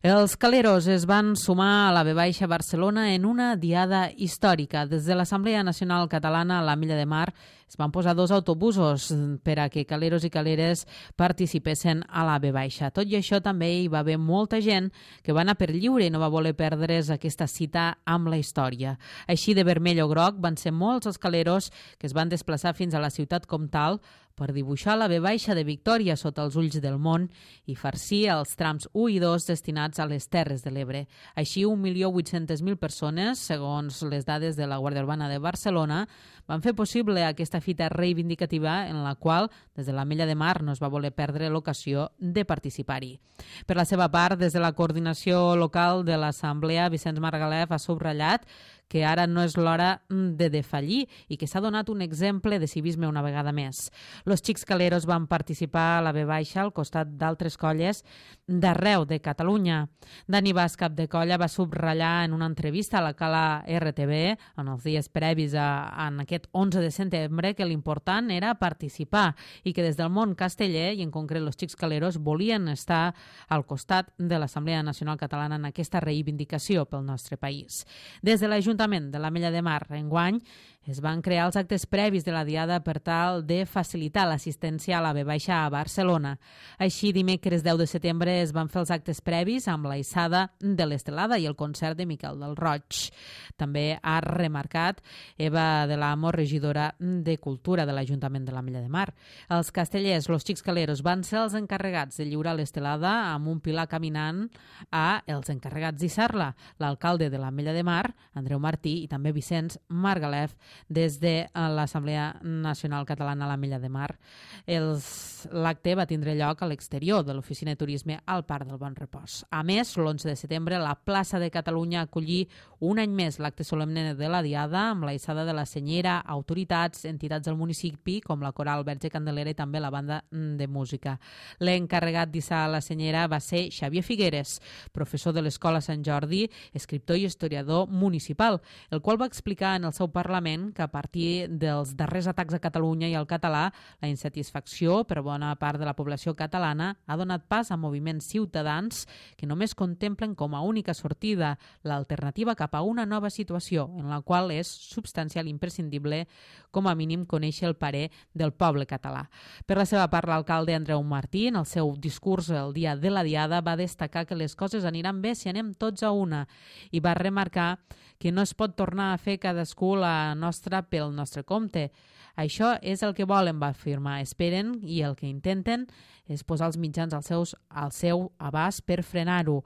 Els caleros es van sumar a la V Barcelona en una diada històrica. Des de l'Assemblea Nacional Catalana a la Milla de Mar es van posar 2 autobusos per a que caleros i caleres participessin a la V. Tot i això, també hi va haver molta gent que va anar per lliure i no va voler perdre's aquesta cita amb la història. Així de vermell o groc van ser molts els caleros que es van desplaçar fins a la ciutat comtal per dibuixar la V de Victòria sota els ulls del món i farcir els trams 1 i 2 destinats a les Terres de l'Ebre. Així, 1.800.000 persones, segons les dades de la Guàrdia Urbana de Barcelona, van fer possible aquesta fita reivindicativa en la qual, des de la Mella de Mar, no es va voler perdre l'ocasió de participar-hi. Per la seva part, des de la coordinació local de l'Assemblea, Vicenç Margalef ha subratllat que ara no és l'hora de defallir i que s'ha donat un exemple de civisme una vegada més. Los Xics Caleros van participar a la V al costat d'altres colles d'arreu de Catalunya. Dani Bas, cap de colla, va subratllar en una entrevista a la Cala RTV en els dies previs en aquest 11 de setembre que l'important era participar i que des del món casteller, i en concret los Xics Caleros, volien estar al costat de l'Assemblea Nacional Catalana en aquesta reivindicació pel nostre país. Des de l'Ajuntament de la Mella de Mar, enguany, es van crear els actes previs de la diada per tal de facilitar l'assistència a la V a Barcelona. Així, dimecres 10 de setembre es van fer els actes previs amb la hissada de l'Estelada i el concert de Miquel del Roig. També ha remarcat Eva de l'Amo, regidora de Cultura de l'Ajuntament de la Mella de Mar. Els castellers, los Xics Caleros, van ser els encarregats de lliurar l'Estelada amb un pilar caminant a els encarregats d'hissar-la, l'alcalde de la Mella de Mar, Andreu Martí, i també Vicenç Margalef, des de l'Assemblea Nacional Catalana a la Mella de Mar. L'acte va tindre lloc a l'exterior de l'Oficina de Turisme al Parc del Bon Repòs. A més, l'11 de setembre, la plaça de Catalunya acollí un any més l'acte solemne de la Diada amb la hissada de la senyera, autoritats, entitats del municipi, com la Coral Verge Candelera i també la banda de música. L'encarregat d'hissar la senyera va ser Xavier Figueres, professor de l'Escola Sant Jordi, escriptor i historiador municipal, el qual va explicar en el seu Parlament que a partir dels darrers atacs a Catalunya i al català, la insatisfacció per bona part de la població catalana ha donat pas a moviments ciutadans que només contemplen com a única sortida l'alternativa cap a una nova situació, en la qual és substancial i imprescindible, com a mínim, conèixer el parer del poble català. Per la seva part, l'alcalde Andreu Martí, en el seu discurs el dia de la Diada, va destacar que les coses aniran bé si anem tots a una i va remarcar que no es pot tornar a fer cadascú la nostra pel nostre compte. Això és el que volen, va afirmar. Esperen i el que intenten és posar els mitjans al seu abast per frenar-ho.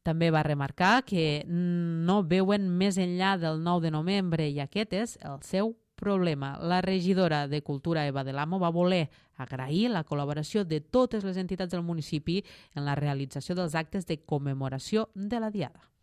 També va remarcar que no veuen més enllà del 9 de novembre i aquest és el seu problema. La regidora de Cultura, Eva de l'Amo, va voler agrair la col·laboració de totes les entitats del municipi en la realització dels actes de commemoració de la Diada.